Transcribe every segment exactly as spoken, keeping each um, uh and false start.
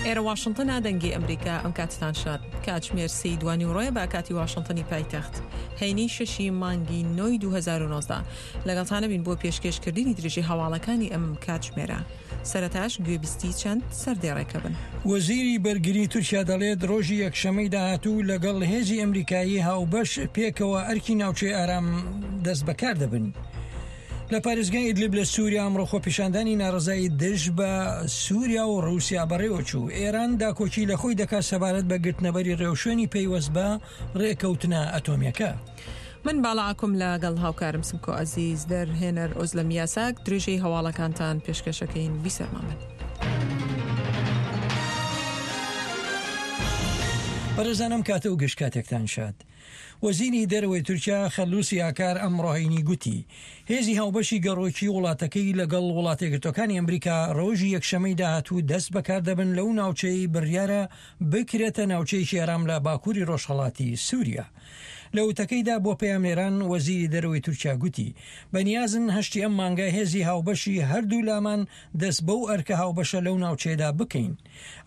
ئێرە واشنتنە، دەنگی ئەمریکا. ئەم کاتتان شاد. کاتژمێر سێی دوانیوەڕۆیە بە کاتی واشنتنی پایتەخت، هەینی شەشی مانگی نۆی دوو هەزار و نۆزدە. لەگەڵتانە بین بۆ پێشکێشکردنی درێژی هەواڵەکانی ئەم کاتژمێرە. سەرەتاش گوێبیستی چەند سەردێڕێکە بن. وەزیری بەرگری تورکیا دەڵێت ڕۆژی یەکشەمەی داهاتوو لەگەڵ هێزی ئەمریکایی هاوبەش پێکەوە ئەرکی ناوچەی ئارام دەست بەکار دەبن. لە پارێزگای ئیدلیب لە سووریا ئەمڕۆ خۆپیشاندانی ناڕەزایی دژ بە سووریا و ڕووسیا بەڕێوەچوو. ئێران داکۆکی لە خۆی دەکات سەبارەت بە گرتنەبەری ڕێوشوێنی پەیوەست بە ڕێکەوتنە ئەتۆمیەکە. من باڵاکم لەگەڵ هاوکارم سمکۆ ئەزیز، دەرهێنەر ئۆزلەم یاساک، درێژەی هەواڵەکانتان پێشکەشەکەین. بیسەرمان بن. بەڕێزانم کاتە و گشت کاتێکتان شاد. وەزیری دەرەوەی تورکیا خەلوسی ئاکار ئەمڕۆ هەینی گوتی هێزی هاوبەشی گەڕۆکی وڵاتەکەی لەگەڵ وڵاتێکگرتوەکانی ئەمریکا ڕۆژی یەکشەمەی داهاتوو دەست بەکار دەبن لەو ناوچەی بڕیارە بکرێتە ناوچەیەکی ئارام لە باکووری ڕۆژهەڵاتی سووریا. لە وتەکەیدا بۆ پەیامنێران وەزیری دەرەوەی تورکیا گوتی بەنیازن هەشتی ئەم مانگە هێزی هاوبەشی هەردوو لامان دەست بەو ئەرکە هاوبەشە لەو ناوچەیەدا بکەین.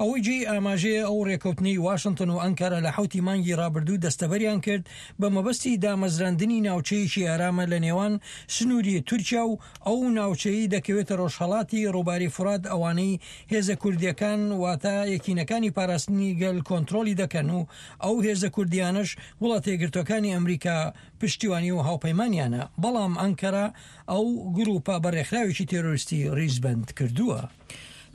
ئەوەی جێی ئاماژەیە ئەو ڕێکەوتنەی واشنتن و ئەنکارا لە حەوتی مانگی ڕابردوو دەستەبەریان کرد بە مەبەستی دامەزراندنی ناوچەیەکی ئارامە لە نێوان سنووری تورکیا و ئەو ناوچەی دەکەوێتە ڕۆژهەڵاتی ڕووباری فورات، ئەوانەی هێزە کوردیەکان واتە یەکینەکانی پاراستنی گەل کۆنترۆڵی دەکەن و ئەو هێزە کوردیانەش وڵاتە یەکگرتووەکانی ئەمریکا پشتیوانی و هاوپەیمانیانە، بەڵام ئەنکەرە ئەو گروپە بە ڕێکخراوێکی تێرۆریستی ڕیزبەند کردووە.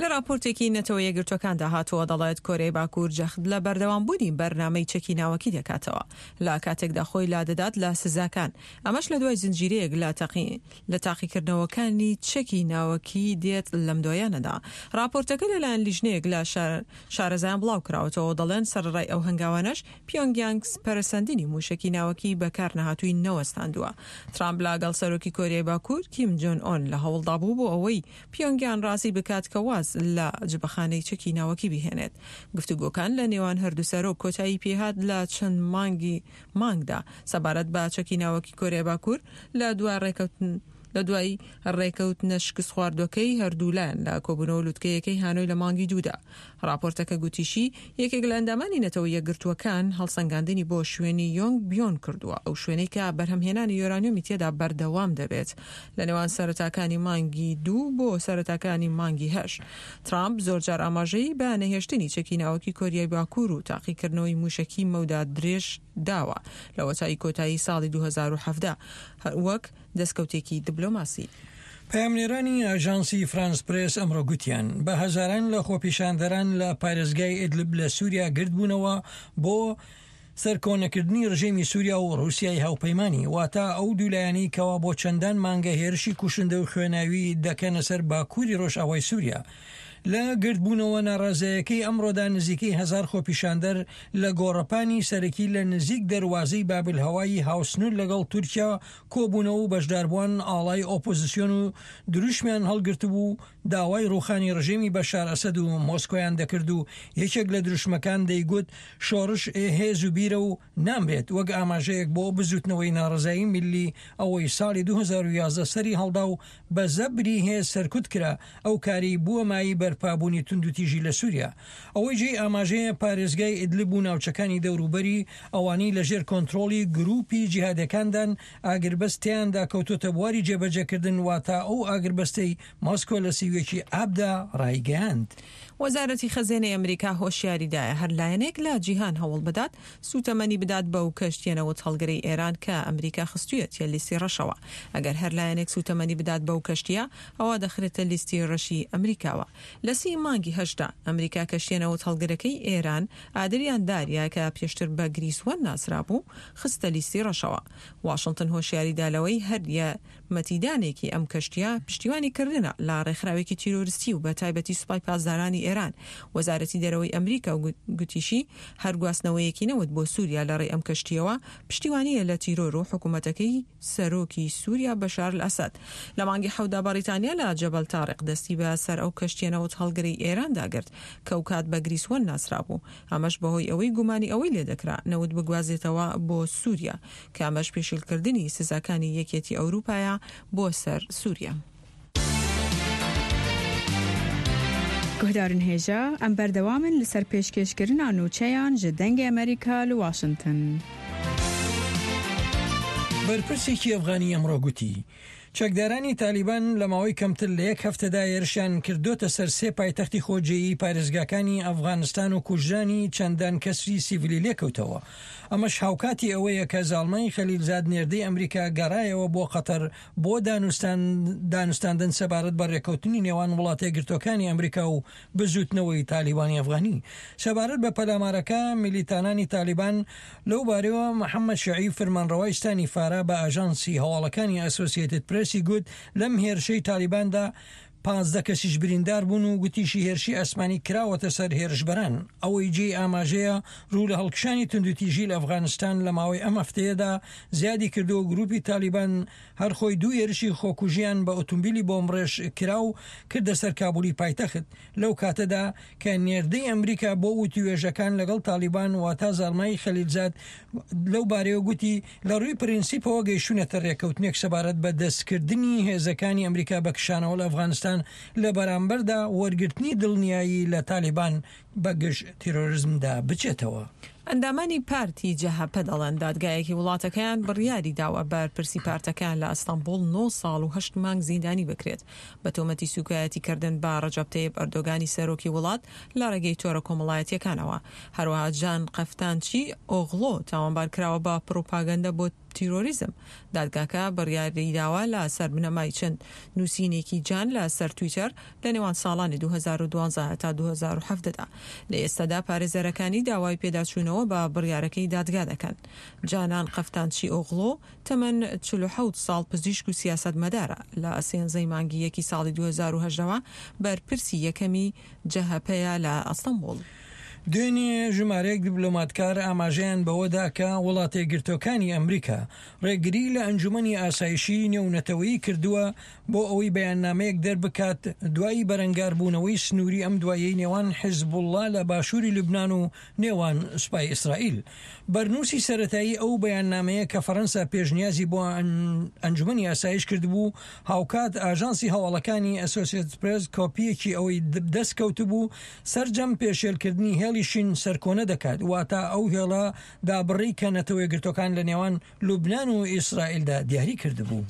لە راپۆرتێکی نەتەوە یەکگرتووەکاندا هاتووە دەڵێت کۆریای باکوور جەخت لە بەردەوامبوونی بەرنامەی چەکی ناوەکی دەکاتەوە لە کاتێکدا خۆی لادەدات لە سزاکان، ئەمەش لە دوای زنجیرەیەک لە تاقیکردنەوەکانی چەکی ناوەکی دێت لەم دوایانەدا. راپۆرتەکە لەلایەن لیژنەیەک لە شارەزایان بڵاو کراوەتەوە، دەڵێن سەرەڕای ئەو هەنگاوانەش پیۆنگیانگ پەرەسەندنی موشەکی ناوەکی بەکار نەهاتووی نەوەستاندووە. ترامپ لەگەڵ سەرۆکی کۆریای باکوور کیم جۆن ئۆن لە هەوڵدا بوو بۆ ئەوەی پیۆنگیان ڕازی بکات کە واز لە جبەخانەی چەکی ناوەکی بهێنێت. گفتوگۆکان لە نێوان هەردوو سەرۆک کۆتایی پێهات لە چەند مانگی مانگدا سەبارەت بە چەکی ناوەکی کۆریای باکوور لە دوای ڕێکەوتن لە دوای ڕێکەوتنە شکست خواردوەکەی هەردوولایەن لە کۆبوونەوە لوتکەیەکەی هانۆی لە مانگی دوودا. راپۆرتەکە گوتیشی یەکێک لە ئەندامانی نەتەوە یەکگرتووەکان هەڵسەنگاندنی بۆ شوێنی یۆنگ بیۆن کردووە، ئەو شوێنەی کە بەرهەمهێنانی یۆرانیۆمی تێدا بەردەوام دەبێت لە نێوان سەرەتاکانی مانگی دوو بۆ سەرەتاکانی مانگی هەشت. ترامپ زۆرجار ئاماژەی بە نەهێشتنی چەکی ناوەکی کۆریای باکوور و تاقیکردنەوەی موشەکی مەودا درێژ داوە لەوەتای کۆتایی ساڵی دوو هەزار و حەڤدە وەک دەستکەوتێکی دیبلۆماسی. پەیامنێرانی ئاژانسی فرانس پرێس ئەمڕۆ گوتیان بە هەزاران لە خۆپیشاندەران لە پارێزگای ئیدلب لە سووریا گردبوونەوە بۆ سەرکۆنەکردنی ڕژێمی سووریا و ڕووسیای هاوپەیمانی، واتە ئەو دوولایەنەی کەوا بۆ چەندان مانگە هێرشی کوشندە و خوێناوی دەکەنە سەر باکووری ڕۆژئاوای سووریا. لە گردبوونەوە ناڕازایەکەی ئەمڕۆدا نزیکەی هەزار خۆپیشاندەر لە گۆڕەپانی سەرەکی لە نزیک دەروازەی بابل هەوایی هاوسنوور لەگەڵ تورکیا کۆبوونەوە و بەشداربووان ئاڵای ئۆپۆزیسیۆن و دروشمیان هەڵگرتبوو داوای ڕوخانی ڕژێمی بەشار ئەسەد و مۆسکۆیان دەکرد و یەکێک لە دروشمەکان دەیگوت شۆڕش هێز و بیرە و نامرێت، وەک ئاماژەیەک بۆ بزوتنەوەی ناڕەزایی میللی ئەوەی ساڵی دوو هەزار و یازدە سەری هەڵدا و بە زەبری هێز سەرکوت کرا، ئەو کاری بووە مایەی بەرپابوونی توندوتیژی لە سووریا. ئەوەی جێی ئاماژەیە پارێزگای ئیدلب و ناوچەکانی دەوروبەری ئەوانەی لەژێر کۆنترۆڵی گروپی جیهادەکاندان ئاگربەست تیاندا کەوتۆتە بواری جێبەجێکردن، واتە ئەو ئاگربەستەی مۆسکۆ لە سیویەکی ئابدا ڕایگەیاند. وەزارەتی خەزێنەی ئەمریکا هۆشیاریدایە هەر لایەنێک لە جیهان هەوڵ بدات سوتەمەنی بدات بەو کەشتیە نەوت هەڵگرەی ئێران کە ئەمریکا خستوویەتیە لیستی ڕەشەوە. ئەگەر هەر لایەنێک سوتەمەنی بدات بەو کەشتیە ئەوە دەخرێتە لیستی ڕەشی ئەمریکاوە. لە سی مانگی هەشتا ئەمریکا کەشتیە نەوت هەڵگرەکەی ئێران ئادریان داریا کە پێشتر بە گریسوەن ناسرابوو خستە لیستی ڕەشەوە. واشنتن هۆشیاریدا لەوەی هەر یارمەتیدانێکی ئەم کەشتیە پشتیوانی کردنە لە ڕێکخراوێکی تیرۆریستی و بە تایبەتی سوپای پاسدارانی ئێران. وەزارەتی دەرەوەی ئەمریکا گوتیشی هەر گواستنەوەیەکی نەوت بۆ سووریا لە ڕێی ئەم کەشتیەوە پشتیوانیە لە تیرۆر و حکوومەتەکەی سەرۆکی سووریا بەشار ئەسەد. لە مانگی حەوتدا بەریتانیا لە جەبەل تاریق دەستی بە سەر ئەو کەشتیە نەوت هەڵگرەی ئێراندا گرت کە ئەو کات بە گریسوەن ناسرابوو، ئەمەش بەهۆی ئەوەی گومانی ئەوەی لێدەکرا نەوت بگوازێتەوە بۆ سووریا کە ئەمەش پێشیلکردنی سزاکانی یەکێتی ئەوروپایە بۆ سەر سووریا. Guhdarên hêja em berdewam in li ser pêşkêşkirina nûçeyan ji Dengê Amerîka li Washington. بەرپرسێکی ئەفغانی ئەمڕۆ گوتی چەکدارانی تالیبان لە ماوەی کەمتر لە یەک هەفتەدا هێرشیان کردۆتە سەر سێ پایتەختی خۆجێیی پارێزگاکانی ئەفغانستان و کوژرانی چەندان کەسری سیڤیلی لێکەوتەوە. ئەمەش هاوکاتی ئەوەیە کە زاڵمای خەلیلزاد نێردەی ئەمریکا گەڕایەوە بۆ قەتەر بۆ دانوستاندن سەبارەت بە ڕێککەوتنی نێوان وڵاتە یەکگرتووەکانی ئەمریکا و بزوتنەوەی تالیبانی ئەفغانی. سەبارەت بە پەلامارەکە میلیتانانی تالیبان لەو بارەوە محەممەد شەعیب فەرمانڕەوای ستانی فارا بە ئاژانسی هەواڵەکانی ئەسۆسیەتد پرێسی گوت لەم هێرشەی تالیباندا پازدە کەسیش بریندار بوون و گوتیشی هێرشی ئاسمانی کراوەتە سەر هێرشبەران. ئەوەی جێی ئاماژەیە ڕوو لە هەڵکشانی توندوتیژی لە ئەفغانستان لە ماوەی ئەم هەفتەیەدا زیادی کردووە. گروپی تالیبان هەر خۆی دوو هێرشی خۆکوژیان بە ئۆتۆمبیلی بۆمبڕێژ کراو کردە سەر کابولی پایتەخت لەو کاتەدا کە نێردەی ئەمریکا بۆ وتوێژەکان لەگەڵ تالیبان واتا زاڵمای خەلیلزاد لەو بارەیەوە گوتی لە ڕووی پرینسیپەوە گەیشتونەتە ڕێککەوتنێک سەبارەت بە دەستکردنی هێزەکانی ئەمریکا بە کشانەوە لە ئەفغانستان لە بەرامبەردا وەرگرتنی دڵنیایی لە تالیبان بە گشت تیرۆریزمدا بچێتەوە. ئەندامانی پارتی جەهەپە دەڵێن دادگایەکی وڵاتەکەیان بڕیاری داوە بەرپرسی پارتەکەیان لە ئەستەنبوڵ نۆ ساڵ و هەشت مانگ زیندانی بکرێت بە تۆمەتی سوکایەتیکردن بە ڕەجەب تەیب ئەردۆگانی سەرۆکی وڵات لە ڕێگەی تۆڕە کۆمەڵایەتیەکانەوە. هەروەها جان قەفتانچی ئۆغڵۆ تاوانبار کراوە بە پڕوپاگەندە بۆ تیرۆریزم. دادگاکە بڕیاری داوە لە سەر بنەمای چەند نووسینێکی جان لە سەر تویتەر لە نێوان ساڵانی دوو هەزار و دوازدە تا دوو هەزار و حەڤدە دا. لە ئێستادا پارێزەرەکانی داوای پێداچوونەوە بە بڕیارەکەی دادگا دەکەن. جانان قەفتانچی ئۆغڵۆ تەمەن چل و حەوت ساڵ پزیشک و سیاسەتمەدارە. لە سێنزەی مانگی یەکی ساڵی دوو هەزار و هەژدەوە بەرپرسی یەکەمی جەهەپەیە لە ئەستەنبوڵ. دوێنێ ژمارەیەک دیپلۆماتکار ئاماژەیان بەوەدا کە وڵاتە یەکگرتووەکانی ئەمریکا ڕێگری لە ئەنجومەنی ئاسایشی نێونەتەوەیی کردووە بۆ ئەوەی بەیاننامەیەک دەربکات دوای بەرەنگاربوونەوەی سنووری ئەم دوایەی نێوان حیزبوڵڵا لە باشووری لوبناان و نێوان سوپای ئیسرائیل. بەرنووسی سەرەتایی ئەو بەیاننامەیە کە فەرەنسا پێشنیازی بۆ ئەنجومەنی ئاسایش کردبوو، هاوکات ئاژانسی هەواڵەکانی ئەسۆسیەتد پرێس کۆپیەکی ئەوەی دەست کەوتبوو سەرجەم پێشێلکردنی هێڵی شین سەرکۆنە دەکات، واتە ئەو هێڵە دابڕی کە نەتەوە یەکگرتووەکان لە نێوان لوبناان و ئیسرائیلدا دیاری کردبوو.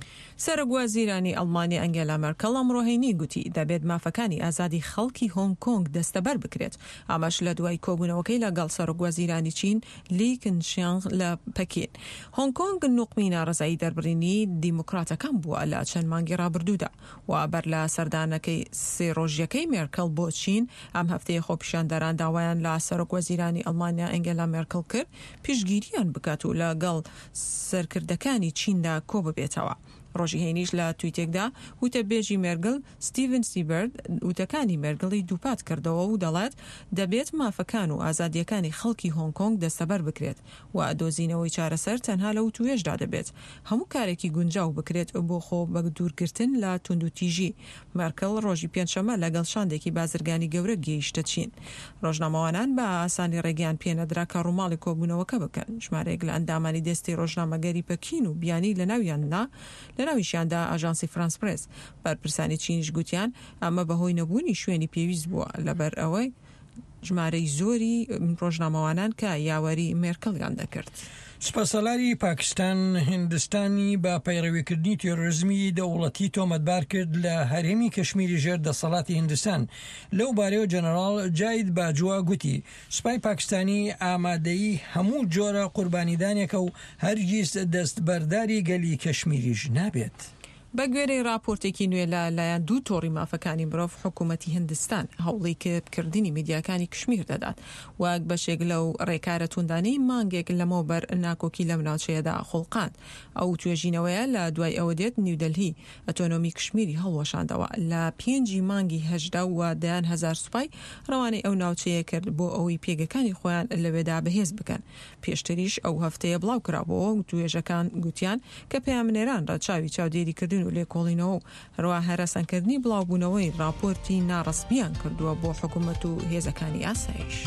سەرۆک وەزیرانی ئەڵمانیا ئەنگێلا مێرکڵ ئەمڕۆ هەینی گوتی دەبێت مافەکانی ئازادی خەڵکی هۆنگ کۆنگ دەستەبەر بکرێت. ئەمەش لە دوای کۆبوونەوەکەی لەگەڵ سەرۆک وەزیرانی چین لی کنشیانگ لە پەکین. هۆنگ کۆنگ نوقمی ناڕەزایی دەربڕینی دیموکراتەکان بووە لە چەند مانگی ڕابردوودا و بەر لە سەردانەکەی سێ ڕۆژیەکەی مێرکڵ بۆ چین ئەم هەفتەیە خۆپیشاندەران داوایان لە سەرۆک وەزیرانی ئەڵمانیا ئەنگێلا مێرکڵ کرد پشتگیریان بکات و لەگەڵ سەرکردەکانی چیندا کۆ ببێتەوە. ڕۆژی هەینیش لە تویتێکدا وتەبێژی مێرگل ستیڤن سیبرد وتەکانی مێرگڵی دووپات کردەوە و دەڵێت دەبێت مافەکان و ئازادیەکانی خەڵکی هۆنگ کۆنگ دەستەبەر بکرێت و دۆزینەوەی چارەسەر تەنها لە وتوێژدا دەبێت هەموو کارێکی گونجاو بکرێت بۆ خۆ بەدوورگرتن لە توندوتیژی. مێرکڵ ڕۆژی پێنجشەممە لەگەڵ شاندێکی بازرگانی گەورە گەیشتە چین. ڕۆژنامەوانان بە ئاسانی ڕێگەیان پێنەدرا کە ڕووماڵی کۆبوونەوەکە بکەن. ژمارەیەک لە ئەندامانی دەستی ڕۆژنامەگەری پەکین و بیانی لەناویاندا لەناویشیاندا ئاژانسی فرانس پرێس. بەرپرسانی چینیش گوتیان ئەمە بەهۆی نەبوونی شوێنی پێویست بووە لەبەر ئەوەی ژمارەی زۆری ڕۆژنامەوانان کە یاوەری مێرکڵیان دەکرد. سوپاسالاری پاکستان هندستانی بە پەیڕەویکردنی تیرۆریزمی دەوڵەتی تۆمەتبار کرد لە هەرێمی کەشمیری ژێر دەسەڵاتی هندستان. لەو بارەیەوە جەنەراڵ جاید باجوا گوتی سوپای پاکستانی ئامادەیی هەموو جۆرە قوربانیدانێکە و هەرگیز دەستبەرداری گەلی کەشمیریش نابێت. بە گوێرەی راپۆرتێکی نوێ لە لایەن دوو تۆڕی مافەکانی مرۆڤ حکوومەتی هندستان هەوڵی کردنی میدیاکانی کشمیر دەدات وەک بەشێک لەو ڕێکارە توندانەی مانگێک لەمەوبەر ناکۆکی لەم ناوچەیەدا خوڵقاند. ئەو توێژینەوەیە لە دوای ئەوە دێت نیودەلهی ئەتۆنۆمی کشمیری هەڵوەشاندەوە لە پێنجی مانگی هەژدە و دەیان هەزار سوپای ڕەوانەی ئەو ناوچەیە کرد بۆ ئەوەی پێگەکانی خۆیان لەوێدا بەهێز بکەن. پێشتریش ئەو هەفتەیە بڵاو کرابووەوە و توێژەکان گوتیان کە پەیامنێران ڕەچاوی چاودێریکردن و لێکۆڵینەوە و هەروەها هەرەسەنکردنی بڵاوبوونەوەی راپۆرتی ناڕەسمیان کردووە بۆ حکوومەت و هێزەکانی ئاسایش.